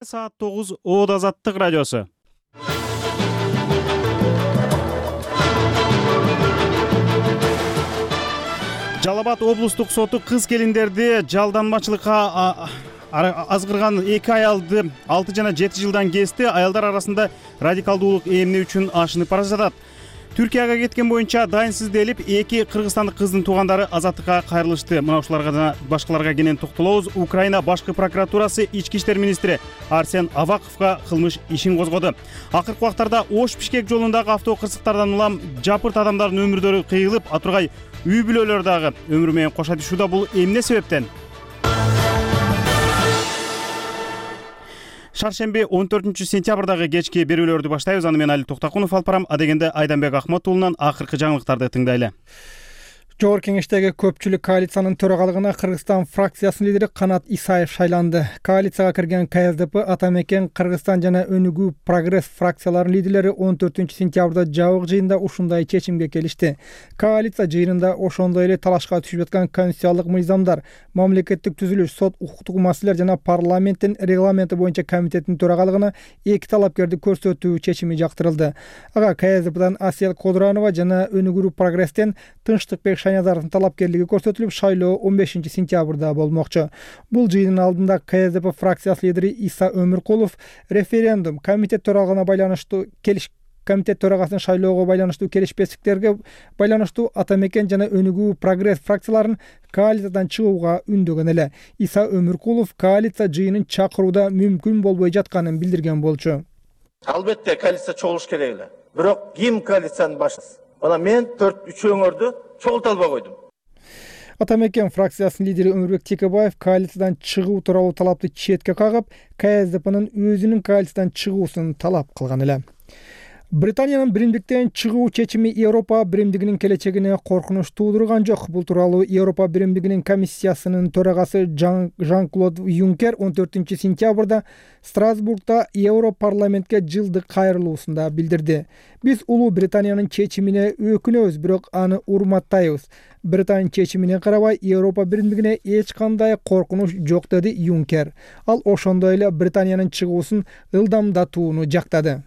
Саат 9 Оод Азаттык радиосу. Жалал Абад облустук соту кыз келиндерди жалданмачылыкка азгырган 2 аялды 6 жана 7 жылдан кести. Аялдар арасында радикалдуулук эмне үчүн ашынып бара жатат. Түркияга кеткен боюнча дайынсыз делип 2 кыргызстандык кыздын туугандары азаттыкка кайрылышты. Мына ушуларга жана башкаларга кенен токтолобуз. Украина башкы прокуратурасы ички иштер министри Арсен Аваковго кылмыш ишин козгоду. Акыркы убактарда Ош-Бишкек жолундагы автокырсыктардан улам жапырт адамдардын өмүрлөрү кыйылып, атургай үй бүлөлөр дагы өмүрү менен коша түшүүдө. Бул эмне себептен? Шаршемби 14-сентябрдагы кечки берүүлөрдү баштайбыз. Аны мен Али Токтакунов алып барам. Адегенде Айданбек Ахматуулунан акыркы жаңылыктарды тыңдайлы. Жогорку кеңештеги көпчүлүк коалициянын төрагалыгына Кыргызстан фракциясынын лидери Канат Исаев шайланды. Коалицияга кирген КСДП, Атамекен, Кыргызстан жана Өнүгүү Прогресс фракцияларынын лидерлери 14-сентябрда жабык жыйында ушундай чечимге келишти. Коалиция жыйынында ошондой эле талашка түшүп жаткан конституциялык мыйзамдар, мамлекеттик түзүлүш, сот, укуктук маселелер жана парламенттин регламенти боюнча комитеттин төрагалыгына 2 талапкерди көрсөтүү чечими жактырылды. Ага КСДПдан Асел Кодуранова жана Өнүгүү Прогресстен Тынчтыкбек Шайназаровдун талапкерлиги көрсөтүлүп, шайлоо 15-сентябрда болмокчу. Бул жыйындын алдында КСДП фракциясы лидери Иса Өмүркулов референдум, комитет төрагалыгына байланыштуу комитет төрагасынын шайлоого байланыштуу келишпестиктерге байланыштуу Атамекен жана Өнүгүү Прогресс фракцияларын коалициядан чыгууга үндөгөн эле. Иса Өмүркулов коалиция жыйынын чакырууда мүмкүн болбой жатканын билдирген болчу. Албетте коалиция чогулуш керек эле. Бирок ким коалициянын башчысы? Мына мен 4-3 өңөрдү чогулта албай койдум. Атамекен фракциясынын лидери Өмүрбек Текебаев коалициядан чыгуу тууралуу талапты четке кагып, КСДПнын өзүнүн коалициядан чыгуусун талап кылган эле. Британиянын биримдиктен чыгуу чечими Европа биримдигинин келечегине коркунуч туудурган жок. Бул тууралуу Европа биримдигинин комиссиясынын төрагасы Жан-Клод Юнкер 14-сентябрда Страсбургда Европарламентке жылдык кайрылуусунда билдирди. Биз Улуу Британиянын чечимине өкүнөбүз, бирок аны урматтайбыз. Британия чечимине карабай Европа биримдигине эч кандай коркунуч жок, деди Юнкер. Ал ошондой эле Британиянын чыгуусун ылдамдатууну жактады.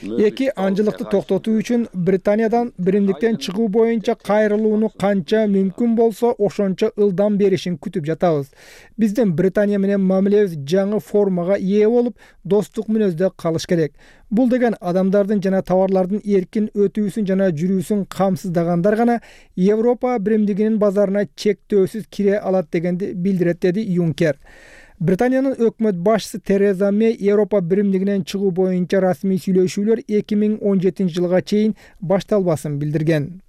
Эки анжылыкты токтотуу үчүн Британиядан биримдиктен чыгуу боюнча кайрылууну канча мүмкүн болсо ошончо ылдам беришин күтүп жатабыз. Биздин Британия менен мамилебиз жаңы формага ээ болуп, достук мүнөздө калыш керек. Бул деген адамдардын жана товарлардын эркин өтүүсүн жана жүрүүсүн камсыздагандар гана Европа биримдигинин базарына чектөөсүз кире алат дегенди билдирет, деди Юнкер. Британиянын өкмөт башчысы Тереза Мэй Европа биримдигинен чыгуу боюнча расмий сүйлөшүүлөр 2017-жылга чейин башталбасын билдирген.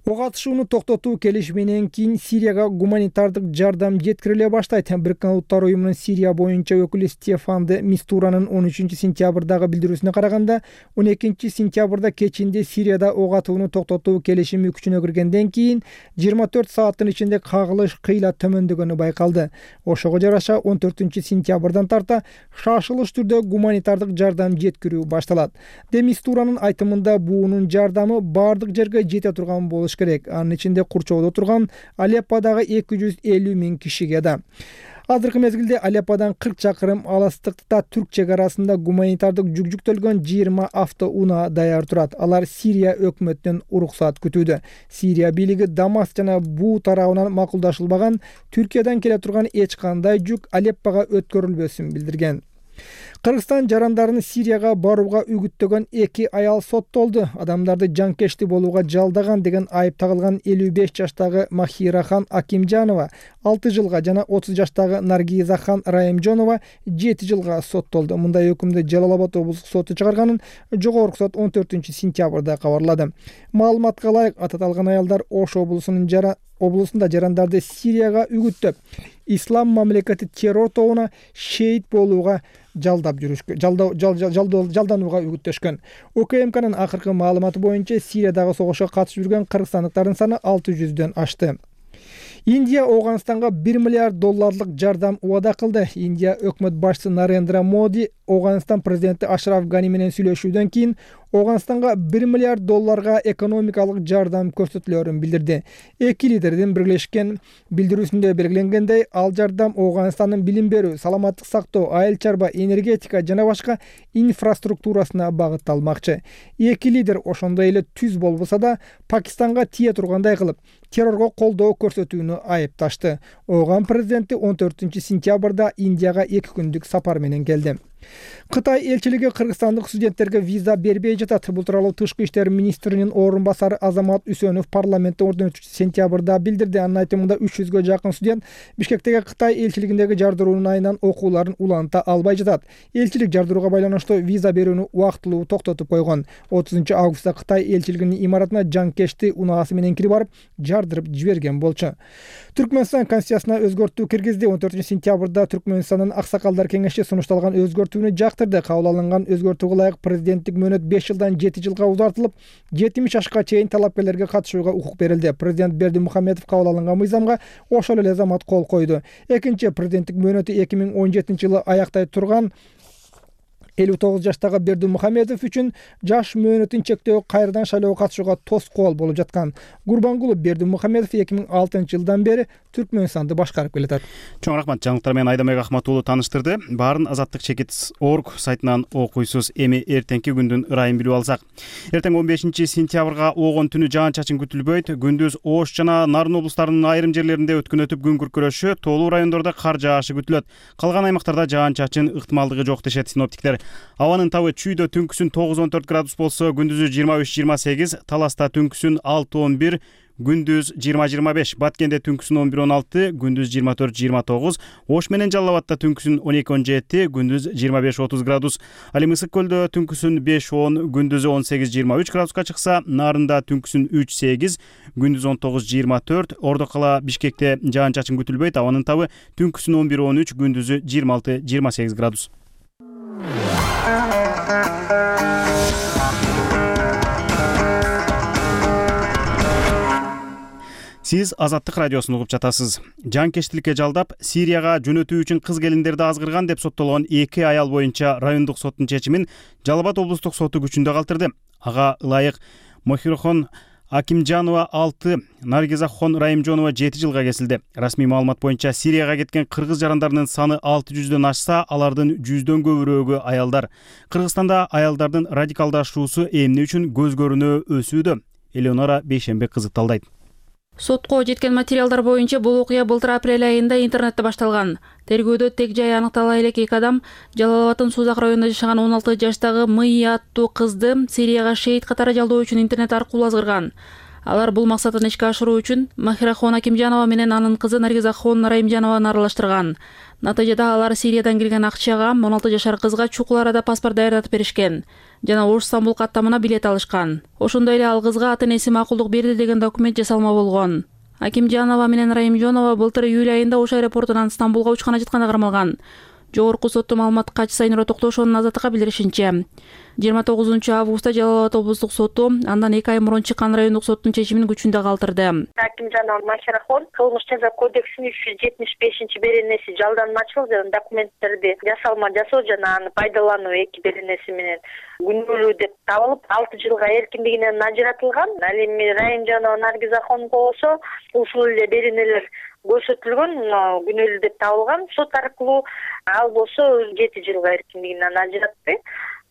Ок атышууну токтотуу келишиминен кийин Сирияга гуманитардык жардам жеткириле баштайт. Бириккен Улуттар уюмунун Сирия боюнча өкүлү Стефан де Мистуранын 13-сентябрдагы билдирүүсүнө караганда, 12-сентябрда кечинде Сирияда ок атууну токтотуу келишими күчүнө киргенден кийин 24 сааттын ичинде кагылыш кыйла төмөндөгөнү байкалды. Ошого жараша 14-сентябрдан тарта шашылыш түрдө гуманитардык жардам жеткирүү башталат. Де Мистуранын айтымында буунун жардамы бардык жерге жете турган болуш керек. Анын ичинде курчоодо турган Алепподагы 250 000 кишиге да. Азыркы мезгилде Алепподан 40 чакырым алыстыкта түрк чек арасында гуманитардык жүк жүктөлгөн 20 автоунаа даяр турат. Алар Сирия өкмөтүнөн уруксат күтүүдө. Сирия бийлиги Дамаск жана Буу тарабынан макулдашылбаган Түркиядан келе турган эч кандай жүк Алеппого өткөрүлбөсүн билдирген. Кыргызстан жарандарын Сирияга барууга үгүттөгөн 2 аял соттолду. Адамдарды жанкечти болууга жалдаган деген айып тагылган 55 жаштагы Махирахан Акимжанова 6 жылга жана 30 жаштагы Наргизахан Раимжонова 7 жылга соттолду. Мындай өкүмдү Жалал Абад облустук соту чыгарганын жогорку сот 14-сентябрда кабарлады. Маалыматка ылайык, аталган аялдар Ош облусунда жарандарды Сирияга үгүттөп, ислам мамлекети террор тобуна шейит болууга жалданууга үгүттөшкөн. ОКМКнын акыркы маалыматы боюнча Сириядагы согушка катышып жүргөн кыргызстандыктардын саны 600дөн ашты. Индия Афганистанга $1 миллиард жардам убада кылды. Индия өкмөт башчысы Нарендра Моди Афганистан президенти Ашраф Гани менен сүйлөшүүдөн кийин Ооганстанга $1 миллиард экономикалык жардам көрсөтүлөрүн билдирди. Эки лидердин биргелешкен билдирүүсүндө белгиленгендей, ал жардам Ооганстандын билим берүү, саламаттык сактоо, айыл чарба, энергетика жана башка инфраструктурасына багытталмакчы. Эки лидер ошондой эле түз болбосо да Пакистанга тие тургандай кылып, террорго колдоо көрсөтүүнү айыпташты. Ооган президенти 14-сентябрда Индияга 2 күндүк сапар менен келди. Кытай элчилиги кыргызстандык студенттерге виза бербей жатат. Бул тууралуу Тышкы иштер министринин орун басары Азамат Үсөнов парламентте 14-сентябрда билдирди. Анын айтымында 300гө жакын студент Бишкектеги Кытай элчилигиндеги жардыруунун айынан окууларын уланта албай жатат. Элчилик жардырууга байланыштуу виза берүүнү убактылуу токтотуп койгон. 30-августта Кытай элчилигинин имаратына жанкечти унаасы менен кирип барып, жардырып жиберген болчу. Түркмөнстан конституциясына өзгөртүү киргизди. 14-сентябрда Түркмөнстандын аксакалдар кеңеши сунушталган өзгөртүүнү жактырды. Кабыл алынган өзгөртүүгө ылайык президенттик мөөнөт 5 жылдан 7 жылга узартылып, 70 жашка чейин талапкерлерге катышууга укук берилди. Президент Бердимухамедов кабыл алынган мыйзамга ошол эле замат кол койду. Экинчи президенттик мөөнөтү 2017-жылы аяктай турган 59 жаштагы Бердимухамедов үчүн жаш мөөнөтүн чектөө кайрадан шайлоого катышууга тоскоол болуп жаткан. Гурбангулов Бердимухамедов 2006-жылдан бери Түркмөнстанды башкарып келатат. Чоң рахмат, жаңылыктар менен Айдамек Ахматуулу тааныштырды. Баарын azattikchekit.org сайтынан окуйсуз. Эми эртеңки күндүн ырайын билип алсак. Эртең 15-сентябрга оогон түнү жаан-чачын күтүлбөйт. Күндүз Ош жана Нарын облустарынын айрым жерлеринде өткүнөтүп күн күркүрөшү, тоолуу райондордо кар жаашы күтүлөт. Калган аймактарда жаан-чачын ыктымалдыгы жок дешет синоптиктер. Абанын табы чүйдө түнкүсүн 9-14 градус болсо, күндүзү 23-28, Таласта түнкүсүн 6-11, күндүз 20-25, Баткенде түнкүсүн 11-16, күндүз 24-29, Ош менен Жалал Абадта түнкүсүн 12-17, күндүз 25-30 градус. Ал эми Ысык көлдө түнкүсүн 5-10, күндүзү 18-23 градуска чыкса, Нарында түнкүсүн 3-8, күндүз 19-24, Ордо кала Бишкекте жаан-чачын күтүлбөйт. Абанын табы түнкүсүн 11-13, күндүзү 26-28 градус. Сиз Азаттык радиосун угуп жатасыз. Жанкечтиликке жалдап, Сирияга жөнөтүү үчүн кыз келиндерди азгырган деп соттолгон 2 аял боюнча райондук соттун чечимин Жалал Абад облустук соту күчүндө калтырды. Ага ылайык Мохирхон Акимжанова 6, Наргизахон Райымжонова 7 жылга кесилди. Расмий маалымат боюнча Сирияга кеткен кыргыз жарандарынын саны 600дөн ашса, алардын 100дөн көбүрөөгү аялдар. Кыргызстанда аялдардын радикалдашуусу эмне үчүн көз көрүнө өсүүдө? Элеонора Бейшембек кызыкталдайт. Сотко жеткен материалдар боюнча бул окуя былтыр апрель айында интернетте башталган. Тергөөдө тег жай аныктала элек 2 адам Жалал Абадтын Сузак районунда жашаган 16 жаштагы Мый аттуу кызды Сирияга шейит катары жалдоо үчүн интернет аркылуу азгырган. Алар бул максатын ишке ашыруу үчүн Махирахон Акимжанова менен анын кызы Наргизахон Райымжанованы аралаштырган. Натыйжада алар Сириядан келген акчага 16 жашар кызга чукул арада паспорт даярдатып беришкен жана Ош-Стамбул каттамына билет алышкан. Ошондой эле ал кызга ата-энеси макулдук берди деген документ жасалма болгон. Акимжанова менен Райымжанова былтыр июль айында Ош аэропортунан Стамбулга учкан жатканда кармалган. Жогорку соттун маалыматка Сайнура Токтошонун Азаттыкка билдиришинче, 29-августта Жалал Абад облустук соту андан 2 ай мурун чыккан райондук соттун чечимин күчүндө калтырды. Акимжанова Махирахон кылмыш жаза кодексинин 375-беренеси жалданмачылык жана документтерди жасалма жасоо жана аны пайдалануу 2 беренеси менен күнөөлүү деп табылып 6 жылга эркиндигинен ажыратылган. Ал эми Райымжанова Наргизахон болсо ушул эле беренелер көрсөтүлгөн, күнөөлүү деп табылган. Сот аркылуу ал болсо 7 жылга эркиндигинен ажыратты.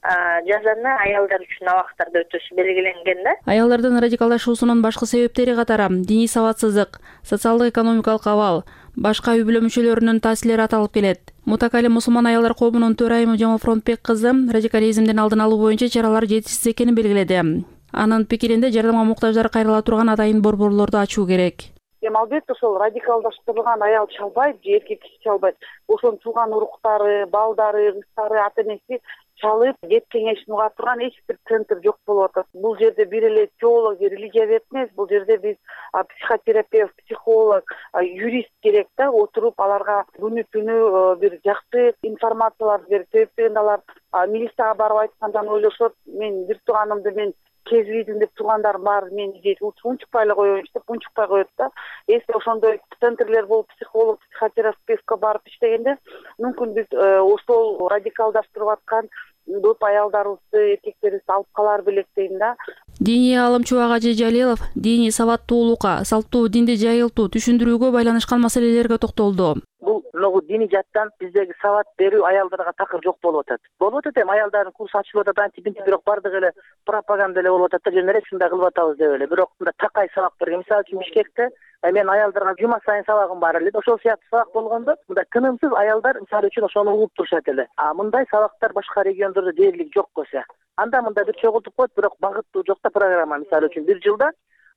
Жазаны аялдар үчүн абактарда өтөсү белгиленген да. Аялдардын радикалдашуусунун башкы себептери катары диний сабатсыздык, социалдык-экономикалык абал, башка үй-бүлө мүчөлөрүнүн таасирлери аталып келет. Мутакали мусулман аялдар коомунун төрайымы Жамалфронтбек кызы радикализмдин алдын алуу боюнча чаралар жетишсиз экенин белгиледи. Анын пикиринде жардамга муктаждар кайрыла турган атайын борборлорду ачуу керек. Албетте ошол радикалдаштырылган аял чалбайт, же эркек киши чалбайт. Ошонун тууган уруктары, балдары, кыздары, ата-энеси чалып, кеп кеңешин уга турган эч бир центр жок болуп атат. Бул жерде бир эле теолог же религия эмес, бул жерде биз психотерапевт, психолог, юрист керек да, отуруп аларга күнү-түнү бир жакшы информацияларды берип, себептен алар милицияга барып айткандан ойлошот, мен бир тууганымды мен кезбейдим деп туугандарым баары мени дейт, унчукпай эле коеюнчу деп унчукпай коет да. Эсте ошондой центрлер болуп, психолог, психотерапевтке барып иштегенде мүмкүн биз ошол радикалдаштырып аткан көп аялдарыбызды, эркектерибизди алып калар белек дейм да. Диний аалым Чубак Ажи Жалилов диний сабаттуулукка, салттуу динди жайылтуу, түшүндүрүүгө байланышкан маселелерге токтолду. Бул могу диний жаттан биздеги сабат берүү аялдарга такыр жок болуп атат. Болуп атат эми аялдардын курсу ачылып атат, антибинти, бирок бардыгы эле пропаганда эле болуп атат да, жөн эле ушундай кылып атабыз деп эле. Бирок мында такай сабак берген. Мисалы үчүн Бишкекте мен аялдарга жума сайын сабагым бар эле. Ошол сыяктуу сабак болгондо мында тынымсыз аялдар мисалы үчүн ошону угуп турушат эле. Мындай сабактар башка региондордо дээрлик жок болсо. Анда мында бир чогултуп коет, бирок багыттуу жок да программа. Мисалы үчүн бир жылда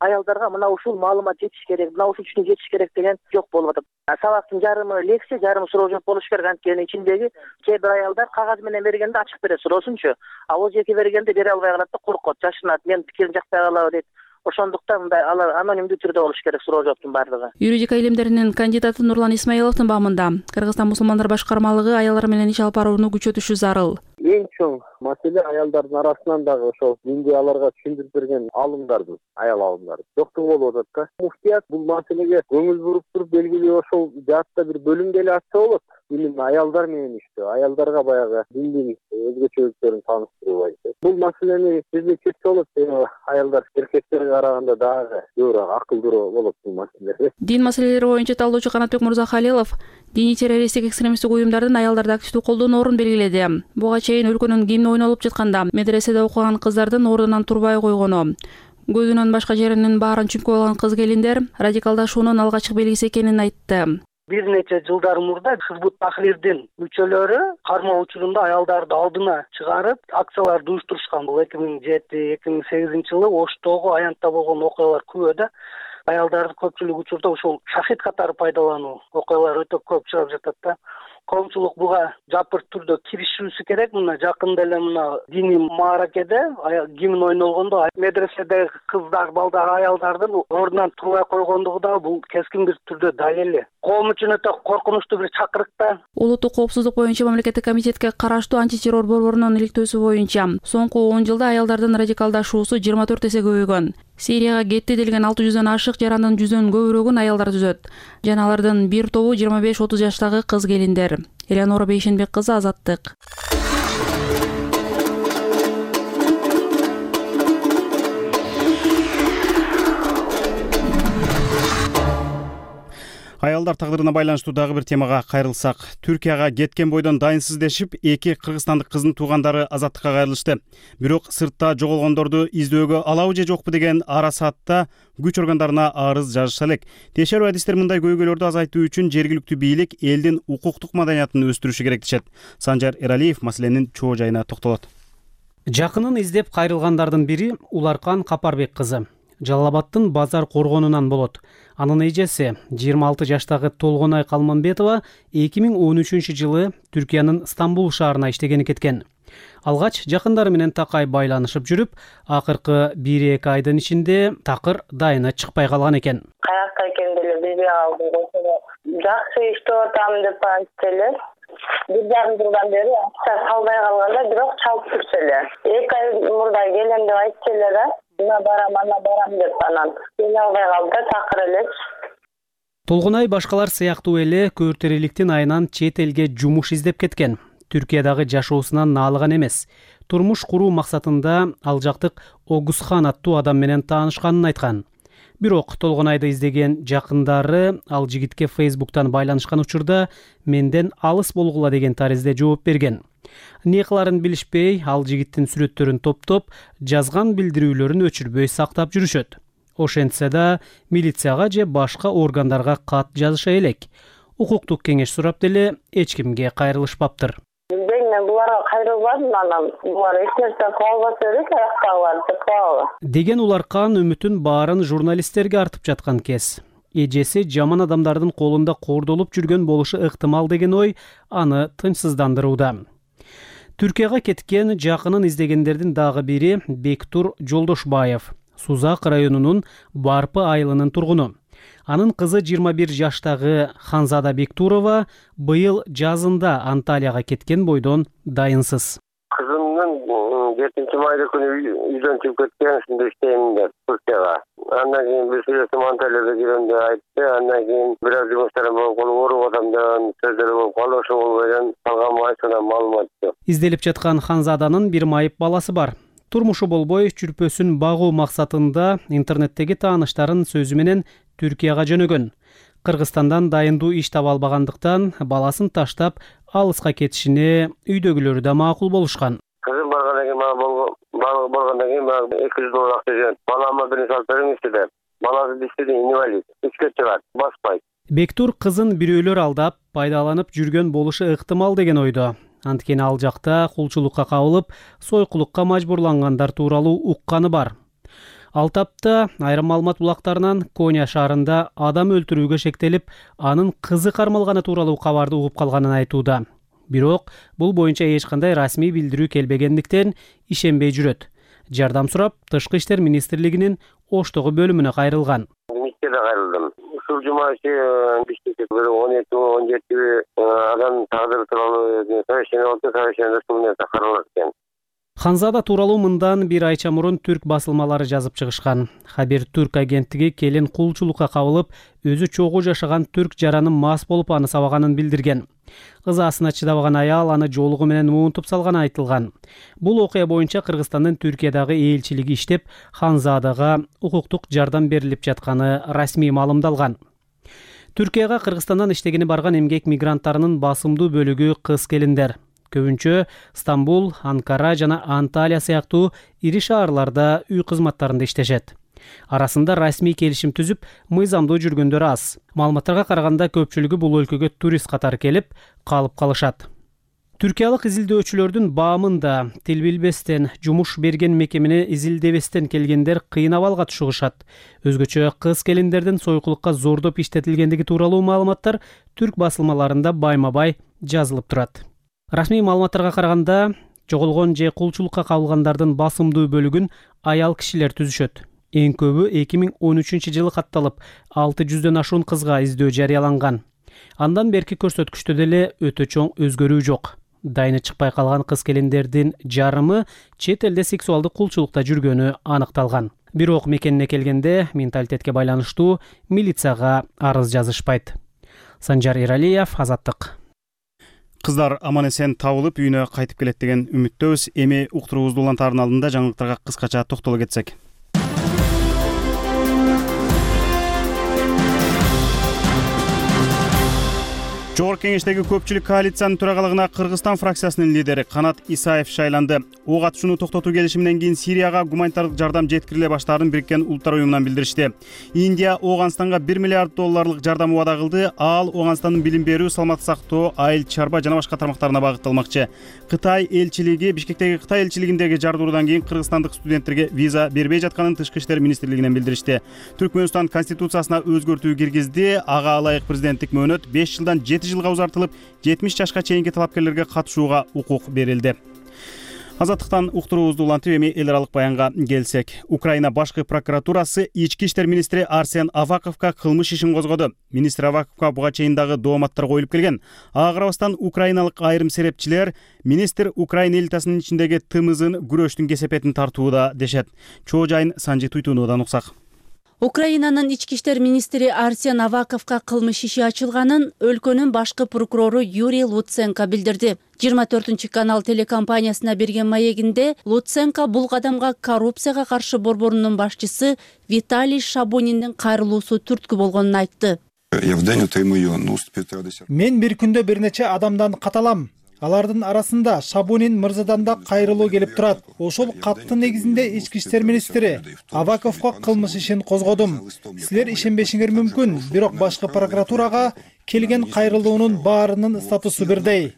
аялдарга мына ушул маалымат жетиш керек, мына ушул үчүн жетиш керек деген жок болуп атат. Сабактын жарымы лекция, жарымы суроо жооп болуш керек. Анткени ичиндеги кээ бир аялдар кагаз менен бергенде ачык берет суроосунчу. Оз эки бергенде бере албай калат да, коркот, жашынат, менин пикирим жакпай калабы дейт. Ошондуктан мындай алар анонимдүү түрдө болуш керек суроо жооптун баардыгы. Юридика илимдеринин кандидаты Нурлан Исмаиловдун баамында Кыргызстан мусулмандар башкармалыгы аялдар менен иш алып барууну күчөтүшү зарыл. Эң чоң маселе аялдардын арасынан дагы ошол динди аларга түшүндүрүп берген алымдардын, аял алымдары жоктугу болуп атат да. Муфтият бул маселеге көңүл буруп туруп белгилүү ошол жаатта бир бөлүмгө эле ачса болот. Именно аялдар менен иштөө, аялдарга баягы диндин өзгөчөлүктөрүн тааныштыруу. Бул маселени бизде чечсе болот. Аялдар эркектерге караганда дагы көбүрөөк акылдуу болот бул маселе. Дин маселелери боюнча талдоочу Канатбек Мурзахалилов диний террористтик экстремисттик уюмдардын аялдарды активдүү колдоону белгиледи. Буга чейин өлкөнүн гимни ойнолуп жатканда медреседе окуган кыздардын ордунан турбай койгону, көзүнөн башка жеринин баарын чүмкөп алган кыз келиндер радикалдашуунун алгачкы белгиси экенин айтты. Бир нече жылдар мурда Хизбут Тахрирдин мүчөлөрү кармоо учурунда аялдарды алдына чыгарып акцияларды уюштурушкан. Бул 2007-2008 жылы Оштогу аянтта болгон окуялар күбө да. Аялдарды көпчүлүк учурда ушул шахид катары пайдалануу окуялар өтө көп чыгып жатат да. Коомчулук буга жапырт түрдө киришүүсү керек. Мына жакында эле мына диний мааракеде гимн ойнолгондо медреседеги кыздар, балдар, аялдардын ордунан турбай койгондугу да бул кескин бир түрдө далили. Коом үчүн өтө коркунучтуу бир чакырык да. Улуттук коопсуздук боюнча мамлекеттик комитетке караштуу антитеррор борборунун иликтөөсү боюнча соңку 10 жылда аялдардын радикалдашуусу 24 эсе көбөйгөн. Сирияга кетти делген 600дөн ашык жарандын 100дөн көбүрөгүн аялдар түзөт. Жана алардын бир тобу 25-30 жаштагы кыз келиндер. Элеонора Бейшенбек кызы, Азаттык. Аялдар тагдырына байланыштуу дагы бир темага кайрылсак, Түркияга кеткен бойдон дайынсыз дешип, 2 кыргызстандык кыздын туугандары Азаттыкка кайрылышты. Бирок сыртта жоголгондорду издөөгө алабы же жокпу деген ара саатта күч органдарына арыз жазышса элек. Текшерүү адистер мындай көйгөйлөрдү азайтуу үчүн жергиликтүү бийлик элдин укуктук маданиятын өстүрүшү керек дешет. Санжар Эралиев маселенин чоо жайына токтолот. Жакынын издеп кайрылгандардын бири Уларкан Капарбек кызы. Жалал-Абадтын базар коргонунан болот. Анын эжеси 26 жаштагы Толгонай Калманбетова 2013 жылы Түркиянын Стамбул шаарына иштегени кеткен. Алгач жакындары менен такай байланышып жүрүп, акыркы 1-2 айдын ичинде такыр дайыны чыкпай калган экен. Каякта экенин деле билбей калдым. Жакшы иштеп атам деп айтты эле. 1,5 жылдан бери акча салбай калганда, бирок чалып турчу эле. 2 ай мурда келем деп айтты эле да. Ана барам деп анан келе албай калды, такыр эле. Толгонай башкалар сыяктуу эле көөртериликтин айынан чет элге жумуш издеп кеткен. Түркиядагы жашоосунан наалыган эмес. Турмуш куруу максатында ал жактык Огузхан аттуу адам менен таанышканын айткан. Бирок Толгонайды издеген жакындары ал жигитке Facebook'тан байланышкан учурда менден алыс болгула деген таризде жооп берген. Не кыларын билишпей, ал жигиттин сүрөттөрүн топтоп, жазган билдирүүлөрүн өчүрбөй сактап жүрүшөт. Ошентсе да милицияга же башка органдарга кат жазыша элек. Укуктук кеңеш сурап деле эч кимге кайрылышпаптыр. Мен буларга кайрылбадым, анан булар эч нерсе кыла албаса элек, аяктагылар деп калабы. Деген Уларкан үмүтүн баарын журналисттерге артып жаткан кез. Эжеси жаман адамдардын колунда кордолуп жүргөн болушу ыктымал деген ой аны тынчсыздандырууда. Түркияга кеткен жакынын издегендердин дагы бири Бектур Жолдошбаев, Сузак районунун Барпы айылынын тургуну. Анын кызы 21 жаштагы Ханзада Бектурова быйыл жазында Анталияга кеткен бойдон дайынсыз. Кызымдын 7 майда күнү үйдөн чыгып кеткен, ушунда иштейм деп Туркияга. Андан кийин бир сүйлөшүп Анталияга киргенде айтты. Андан кийин бир аз жумуштарым болуп калып, ооруп атам деген сөздөр болуп калды. Ошол менен калган майсынан маалымат жок. Изделип жаткан Ханзаданын бир майып баласы бар. Турмушу болбой, чүрпөсүн багуу максатында интернеттеги тааныштарын сөзү менен Түркияга жөнөгөн. Кыргызстандан дайындуу иш таба албагандыктан баласын таштап алыска кетишине үйдөгүлөрү да макул болушкан. Кызым баргандан кийин мага $200 акча жөнөттү. Балама бир салып бериңизчи деп. Баласы диштеди, инвалид. Ичке чыгат, баспайт. Бектур кызын бирөөлөр алдап, пайдаланып жүргөн болушу ыктымал деген ойдо. Анткени ал жакта кулчулукка кабылып, сойкулукка мажбурлангандар тууралуу укканы бар. Ал тапта айрым маалымат булактарынан Коня шаарында адам өлтүрүүгө шектелип, анын кызы кармалганы тууралуу кабарды угуп калганын айтууда. Бирок бул боюнча эч кандай расмий билдирүү келбегендиктен ишенбей жүрөт. Жардам сурап, Тышкы иштер министрлигинин Оштогу бөлүмүнө кайрылган. Мектепке кайрылдым. Ушул жума ичи 12-17 адам тагдыры тууралуу совещание болду. Совещание менен каралат экен. Ханзада тууралуу мындан бир айча мурун түрк басылмалары жазып чыгышкан. Хабер Түрк агенттиги келин кулчулукка кабылып, өзү чогуу жашаган түрк жаранын мас болуп аны сабаганын билдирген. Ызасына чыдабаган аял аны жоолугу менен уунтуп салганы айтылган. Бул окуя боюнча Кыргызстандын Түркиядагы элчилиги иштеп, Ханзадага укуктук жардам берилип жатканы расмий маалымдалган. Түркияга Кыргызстандан иштегени барган эмгек мигранттарынын басымдуу бөлүгү кыз келиндер. Көбүнчө Стамбул, Анкара жана Анталия сыяктуу ири шаарларда үй кызматтарында иштешет. Арасында расмий келишим түзүп, мыйзамдуу жүргөндөр аз. Маалыматтарга караганда көпчүлүгү бул өлкөгө турист катары келип, калып калышат. Түркиялык изилдөөчүлөрдүн баамында тил билбестен, жумуш берген мекемени изилдебестен келгендер кыйын абалга түшүшат. Өзгөчө кыз келиндердин сойкулукка зордоп иштетилгендиги тууралуу маалыматтар түрк басылмаларында байма-бай жазылып турат. Расмий маалыматтарга караганда, жоголгон же кулчулукка кабылгандардын басымдуу бөлүгүн аял кишилер түзүшөт. Эң көбү 2013-жылы катталып, 600дөн ашуун кызга издөө жарыяланган. Андан берки көрсөткүчтө деле өтө чоң өзгөрүү жок. Дайыны чыкпай калган кыз келиндердин жарымы чет элде сексуалдык кулчулукта жүргөнү аныкталган. Бирок мекенине келгенде менталитетке байланыштуу милицияга арыз жазышпайт. Санжар Иралиев, Азаттык. Кыздар аман эсен табылып үйүнө кайтып келет деген үмүттөбүз. Эми уктуруубузду улантаардын алдында жаңылыктарга кыскача токтоло кетсек. Жогорку кеңештеги көпчүлүк коалициянын төрагалыгына Кыргызстан фракциясынын лидери Канат Исаев шайланды. Ок атышууну токтотуу келишиминен кийин Сирияга гуманитардык жардам жеткириле баштаарын Бириккен Улуттар уюмунан билдиришти. Индия Ооганстанга $1 миллиард жардам убада кылды. Ал Ооганстандын билим берүү, саламаттык сактоо, айыл чарба жана башка тармактарына багытталмакчы. Кытай элчилиги Бишкектеги Кытай элчилигиндеги жардыруудан кийин кыргызстандык студенттерге виза бербей жатканын Тышкы иштер министрлигинен билдиришти. Түркмөнстан конституциясына өзгөртүү киргизди. Ага ылайык президенттик мөөнөт 5 жылдан 7 жылга узартылып, 70 жашка чейинки талапкерлерге катышууга укук берилди. Азаттыктан уктуруубузду улантып, эми эл аралык баянга келсек. Украина башкы прокуратурасы ички иштер министри Арсен Аваковго кылмыш ишин козгоду. Министр Аваковго буга чейин дагы дооматтар коюлуп келген. Ага карабастан украиналык айрым серепчилер министр Украина элитасынын ичиндеги тымызын күрөштүн кесепетин тартууда дешет. Чоо жайын Санжи Туйтунуудан уксак. Украинанын ички иштер министри Арсен Аваковго кылмыш иши ачылганын өлкөнүн башкы прокурору Юрий Луценко билдирди. 24-канал телекомпаниясына берген маегинде Луценко бул кадамга коррупцияга каршы борборунун башчысы Виталий Шабуниндин кайрылуусу түрткү болгонун айтты. Мен бир күндө бир нече адамдан каталам. Алардын арасында Шабунин мырзадан да кайрылуу келип турат. Ошол каттын негизинде ички иштер министри Аваковго кылмыш ишин козгодум. Силер ишенбешиңер мүмкүн, бирок башкы прокуратурага келген кайрылуунун баарынын статусу бирдей.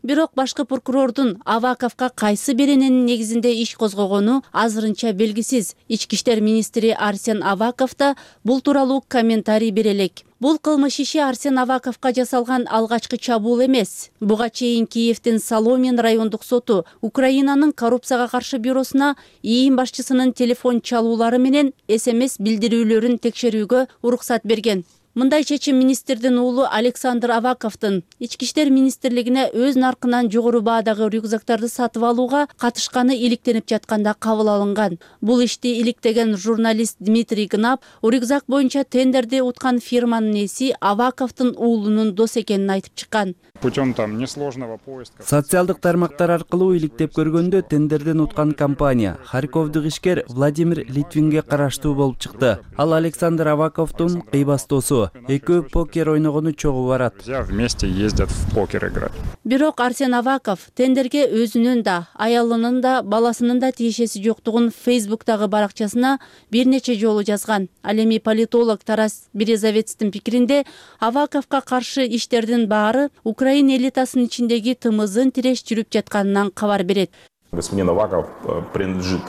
Бирок башкы прокурордун Аваковго кайсы биринин негизинде иш козгогону азырынча белгисиз. Ички иштер министри Арсен Аваков да бул тууралуу комментарий бере элек. Бул кылмыш иши Арсен Аваковго жасалган алгачкы чабуул эмес. Буга чейин Киевдин Соломин райондук соту Украинанын коррупцияга каршы бюросуна ИИМ башчысынын телефон чалуулары менен СМС билдирүүлөрүн текшерүүгө уруксат берген. Мындай чечим министрдин уулу Александр Аваковдун ички иштер министрлигине өз наркынан жогору баадагы рюкзактарды сатып алууга катышканы иликтенип жатканда кабыл алынган. Бул ишти иликтеген журналист Дмитрий Гнап рюкзак боюнча тендерди уткан фирманын ээси Аваковдун уулунун дос экенин айтып чыккан. Путем несложного поиска. Социалдык тармактар аркылуу иликтеп көргөндө тендерден уткан компания Харьковдук ишкер Владимир Литвинге караштуу болуп чыкты. Ал Александр Аваковдун кыйбастоосу. Экөө покер ойногону чогуу барат. Вместе ездят в покер играть. Бирок Арсен Аваков тендерге өзүнүн да, аялынын да, баласынын да тиешеси жоктугун Фейсбуктагы баракчасына бир нече жолу жазган. Ал эми политолог Тарас Березовецтин пикиринде Аваковго каршы иштердин баары Украин элитасынын ичиндеги тымызын тиреш жүрүп жатканынан кабар берет. Господин Аваков принадлежит.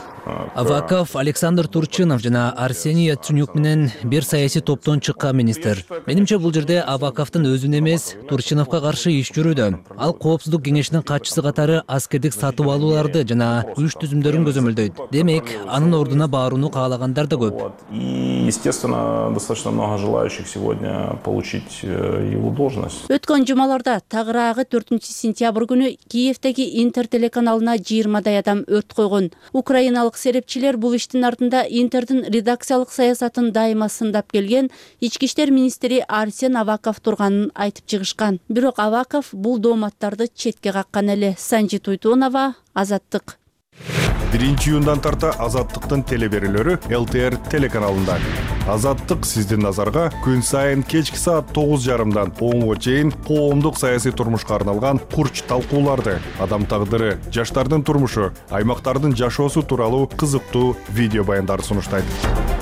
Аваков Александр Турчинов жана Арсений Яценюк менен бир саясий топтон чыккан министр. Менимче бул жерде Аваковдун өзүн эмес, Турчиновго каршы иш жүрүүдө. Ал коопсуздук кеңешинин катчысы катары аскердик сатып алууларды жана күч түзүмдөрүн көзөмөлдөйт. Демек, анын ордуна барууну каалагандар да көп. И, естественно, достаточно много желающих сегодня получить его должность. Өткөн жумаларда тагыраагы 4-сентябрь күнү Киевдеги Интер телеканалына 20 адам өрт койгон. Украиналык серепчилер бул иштин артында Интердин редакциялык саясатын дайыма сындап келген ички иштер министри Арсен Аваков турганын айтып чыгышкан. Бирок Аваков бул дооматтарды четке каккан эле. Санжи Туйтонова, Азаттык. 1-июндан тарта Азаттыктын телеберүүлөрү ЛТР телеканалында. Азаттык сиздин назарга күн сайын кечки саат 9:30дан 10-го чейин коомдук саясий турмушка арналган курч талкууларды, адам тагдыры, жаштардын турмушу, аймактардын жашоосу тууралуу кызыктуу видео баяндарды сунуштайт.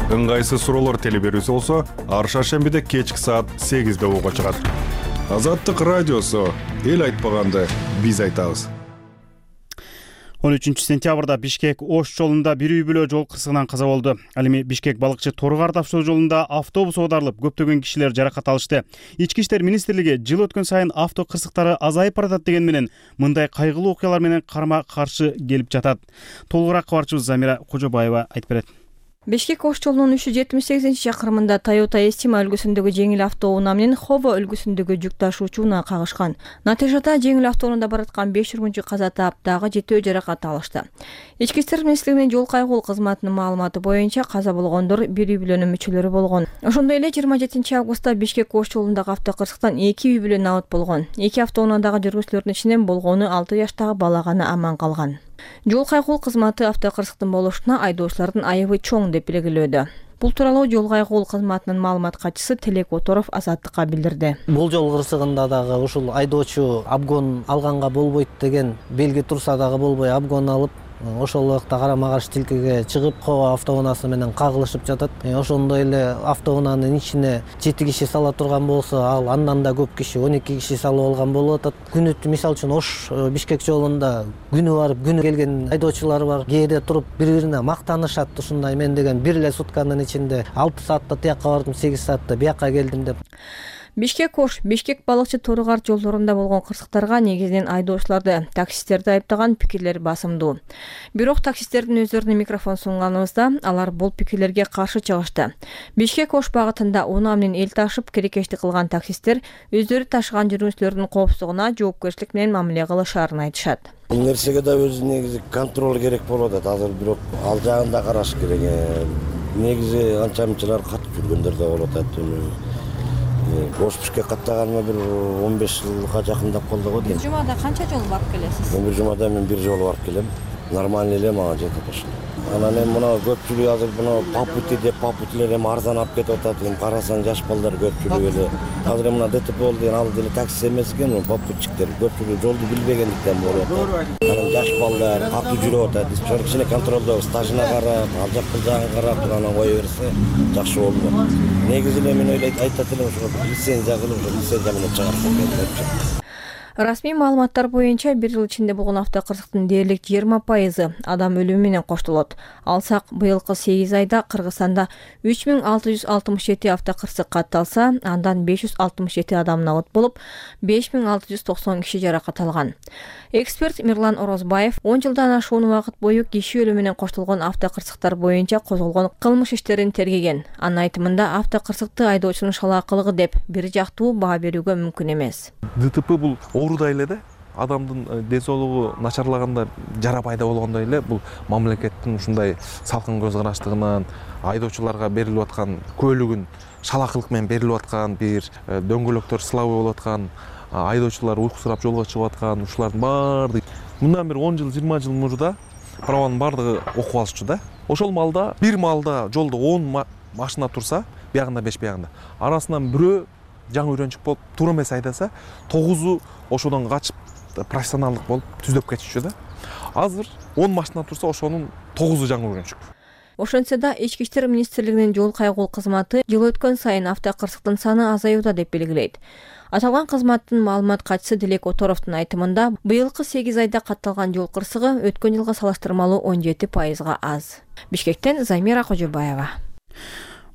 Ыңгайсыз суроолор телеберүүсү болсо, ар шаршембиде кечки саат 8-де ого чыгат. Азаттык радиосу, эл айтпаганды биз айтабыз. 13-сентябрда Бишкек Ош жолунда бир үй бүлө жол кырсыгынан каза болду. Ал эми Бишкек балыкчы Торгар таш жолунда автобус оодарылып, көптөгөн кишилер жаракат алышты. Ички иштер министрлиги жыл өткөн сайын авто кырсыктары азайып баратат деген менен мындай кайгылуу окуялар менен карма каршы келип жатат. Толугураак кабарчыбыз Замира Кожобаева айтып берет. Бишкек Ош жолунун 378-чакырымында Toyota Estima үлгүсүндөгү жеңил автоунаа менен Хово үлгүсүндөгү жүк ташуучу унаа кагышкан. Натыйжада жеңил автоунаада бараткан 5 жүргүнчү каза таап, дагы 7 жаракат алышты. Ички иштер министрлигинин жол кайгылуу кызматынын маалыматы боюнча каза болгондор бир үй бүлөнүн мүчөлөрү болгон. Ошондой эле 27 августта Бишкек Ош жолундагы автокырсыктан 2 үй бүлө набыт болгон. 2 автоунаадагы жүргүзүүлөрдүн ичинен болгону 6 жаштагы бала гана аман калган. Жол кайгылуу кызматы автокырсыктын болушуна айдоочулардын айыбы чоң деп белгилөөдө. Бул тууралуу жол кайгылуу кызматынын маалымат катчысы Телек Оторов Азаттыкка билдирди. Бул жол кырсыгында дагы ушул айдоочу обгон алганга болбойт деген белги турса дагы болбой обгон алып, ошол убакта карама каршы тилкеге чыгып, Хово автоунаасы менен кагылышып жатат. Ошондой эле автоунаанын ичине 7 киши сала турган болсо, ал андан да көп киши 12 киши салып алган болуп атат. Күнү мисалы үчүн Ош Бишкек жолунда күнү барып, күнү келген айдоочулар бар. Кээде туруп бири-бирине мактанышат, ушундай мен деген бир эле сутканын ичинде 6 саатта тияка бардым, 8 саатта бияка келдим деп. Бишкек Ош, Бишкек балыкчы Торгар жолдорунда болгон кырсыктарга негизинен айдоочуларды, таксисттерди айыптаган пикирлер басымдуу. Бирок таксисттердин өздөрүнө микрофон сунганыбызда алар бул пикирлерге каршы чыгышты. Бишкек Ош багытында унаа менен эл ташып керекештик кылган таксисттер өздөрү ташыган жүргүнчүлөрдүн коопсуздугуна жоопкерчилик менен мамиле кылышаарын айтышат. Бул нерсеге да өзү негизи контроль керек болуп атат. Азыр бирок ал жагын да караш керек. Негизи анча мынчалар катып жүргөндөр да болуп атат. Ош Бишкек каттаганыма бир 15 жылга жакындап калды го дейм. Бир жумада канча жолу барып келесиз? Бир жумада мен бир жолу барып келем. Нормально эле мага жетет ошол. Анан эми мына көпчүлүгү азыр мына попути деп попутлер эми арзан алып кетип атат. Эми карасаң жаш балдар көпчүлүгү эле. Азыр мына ДТП болду деген ал деле такси эмес экен, попутчиктер көпчүлүгү жолду билбегендиктен болуп атат. Анан жаш балдар катуу жүрүп атат. Ошол кичине контролдо стажына карап, ал жак бул жагын карап анан кое берсе жакшы болду. Негизи эле мен ойлойт айтат элем ошол лицензия кылып, лицензия менен чыгарса керек. Расмий маалыматтар боюнча 1 жыл ичинде болгон автокырсыктын дээрлик 20% адам өлүмү менен коштолот. Алсак, быйылкы 8 айда Кыргызстанда 3667 автокырсык катталса, андан 567 адамдын абыт болуп, 5690 киши жаракат алган. Эксперт Мирлан Орозбаев 10 жылдан ашуун убакыт бою киши өлүмү менен коштолгон автокырсыктар боюнча козголгон кылмыш иштерин тергеген. Анын айтымында автокырсыкты айдоочунун шалаакылыгы деп бир жактуу баа берүүгө мүмкүн эмес. ДТП бул оорудай эле да, адамдын ден соолугу начарлаганда жара пайда болгондой эле бул мамлекеттин ушундай салкын көз караштыгынан айдоочуларга берилип аткан көөлүгүн шалаакылык менен берилип аткан бир дөңгөлөктөр сылабы болуп аткан, айдоочулар уйкусурап жолго чыгып аткан, ушулардын баардыгы мындан бир 10 жыл 20 жыл мурда праванын баардыгы окуп алышчу да. Ошол маалда бир маалда жолдо 10 машина турса, биягында 5 биягында арасынан бирөө жаңы үйрөнчүк болуп туура эмес айдаса, 9у ошодон качып профессионалдык болуп түздөп кетишчү да. Азыр 10 машина турса, ошонун 9у жаңы үйрөнчүк. Ошентсе да Ички иштер министрлигинин жол кайгыл кызматы жыл өткөн сайын автокырсыктын саны азаюуда деп белгилейт. Аталган кызматтын маалымат катчысы Дилек Оторовдун айтымында, быйылкы 8 айда катталган жол кырсыгы өткөн жылга салыштырмалуу 17%га аз. Бишкектен Замира Кожобаева.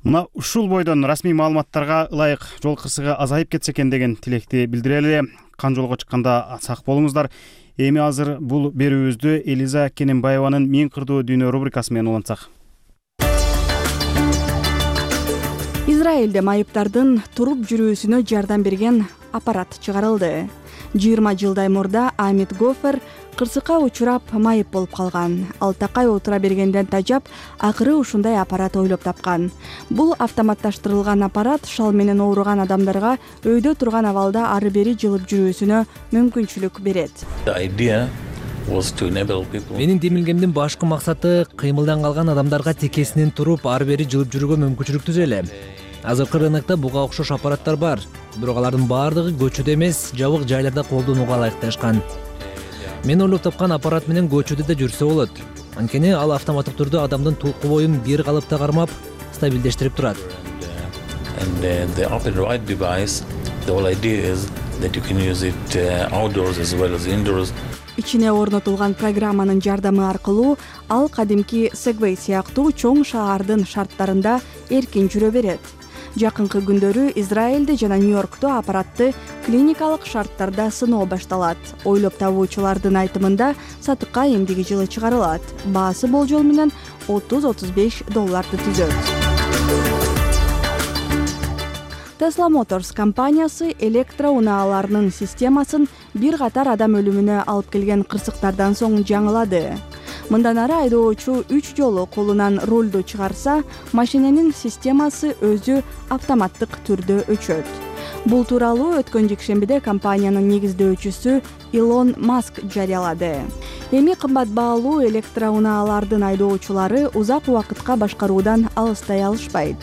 Мына ушул бойдон расмий маалыматтарга ылайык жол кырсыгы азайып кетсе экен деген тилекти билдирели. Кан жолго чыкканда сак болуңуздар. Эми азыр бул берүүбүздү Элиза Кененбаеванын Мен кырдуу дүйнө рубрикасы менен улантсак. Израилде майыптардын туруп жүрүүсүнө жардам берген аппарат чыгарылды. 20 жылдай мурда Амит Гофер кырсыкка учурап майып болуп калган. Ал такай отура бергенден тажап, акыры ушундай аппарат ойлоп тапкан. Бул автоматташтырылган аппарат шал менен ооруган адамдарга өйдө турган абалда ары бери жылып жүрүүсүнө мүмкүнчүлүк берет. Менин демилгемдин башкы максаты кыймылдан калган адамдарга текесинен туруп ары бери жылып жүрүүгө мүмкүнчүлүк түзөлө. Азыркы рынокто буга окшош аппараттар бар, бирок алардын баардыгы көчөдө эмес, жабык жайларда колдонууга ылайыкташкан. Мен ойлоп тапкан аппарат менен көчөдө да жүрсө болот. Анткени ал автоматтык түрдө адамдын тулку боюн бир калыпта кармап, стабилдештирип турат. Ичине орнотулган программанын жардамы аркылуу ал кадимки Segway сыяктуу чоң шаардын шарттарында эркин жүрө берет. Жакынкы күндөрү Израилде жана Нью-Йоркто аппаратты клиникалык шарттарда сыноо башталат. Ойлоп табуучулардын айтымында сатыкка эмдиги жылы чыгарылат. Баасы болжол менен $30-35 түзөт. Tesla Motors компаниясы электроунааларынын системасын бир катар адам өлүмүнө алып келген кырсыктардан соң жаңылады. Мындан ары айдоочу 3 жолу колунан рулду чыгарса, машиненин системасы өзү автоматтык түрдө өчөт. Бул тууралуу өткөн жекшембиде компаниянын негиздөөчүсү Илон Маск жарыялады. Эми кымбат баалуу электроунаалардын айдоочулары узак убакытка башкаруудан алыстай алышпайт.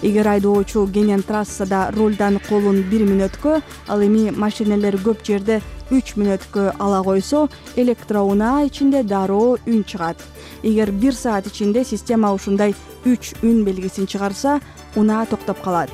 Эгер айдоочу кенен трассада рулдан колун 1 мүнөткө, ал эми машинелер көп жерде 3 мүнөткө ала койсо, электроунаа ичинде дароо үн чыгат. Эгер 1 саат ичинде система ушундай 3 үн белгисин чыгарса, унаа токтоп калат.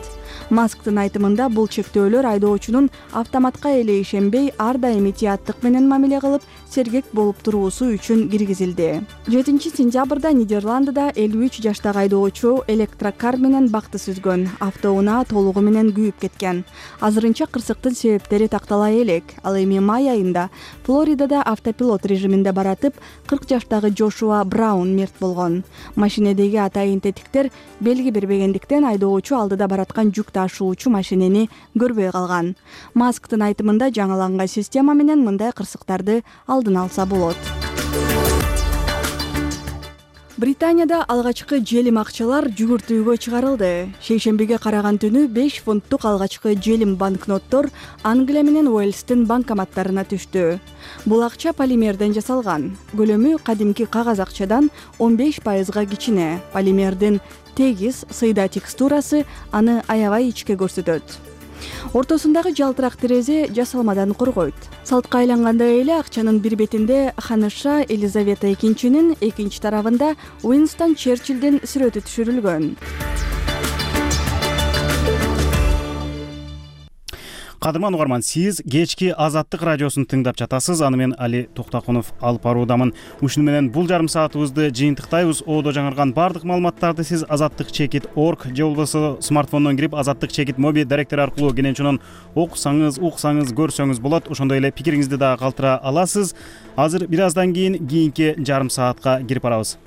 Масктын айтымында бул чектөөлөр айдоочунун автоматка эле ишенбей, ар дайым этияттык менен мамиле кылып, сергек болуп туруусу үчүн киргизилди. 7-сентябрда Нидерландыда 53 жаштагы айдоочу электрокар менен бакты сүзгөн. Автоунаа толугу менен күйүп кеткен. Азырынча кырсыктын себептери тактала элек. Ал эми май айында Флоридада автопилот режиминде баратып, 40 жаштагы Джошуа Браун мерт болгон. Машинедеги атайын тетиктер белги бербегендиктен айдоочу алдыда бараткан жүк ташуучу машинени көрбөй калган. Масктын айтымында жаңыланган система менен мындай кырсыктарды алдын алса болот. Британияда алгачкы желим акчалар жүгүртүүгө чыгарылды. Шейшембиге караган түнү 5 фунттук алгачкы желим банкноттор Англия менен Уэльстин банкоматтарына түштү. Бул акча полимерден жасалган. Көлөмү кадимки кагаз акчадан 15%га кичине. Полимердин тегиз, сыйда текстурасы аны аябай ичке көрсөтөт. Ортосундагы жалтырак терезе жасалмадан коргойт. Салтка айлангандай эле акчанын бир бетинде ханыша Елизавета II, экинчи тарабында Уинстон Черчиллдин сүрөтү түшүрүлгөн. Кадырман угарман, сиз кечки Азаттык радиосун тыңдап жатасыз. Аны мен Али Токтакунов алып баруудамын. Ушуну менен бул жарым саатыбызды жыйынтыктайбыз. Одо жаңырган бардык маалыматтарды сиз azattik.org же болбосо смартфондон кирип azattik моби даректери аркылуу кенен окусаңыз, уксаңыз, көрсөңүз болот. Ошондой эле пикириңизди дагы калтыра аласыз. Азыр бир аздан кийинки жарым саатка кирип барабыз.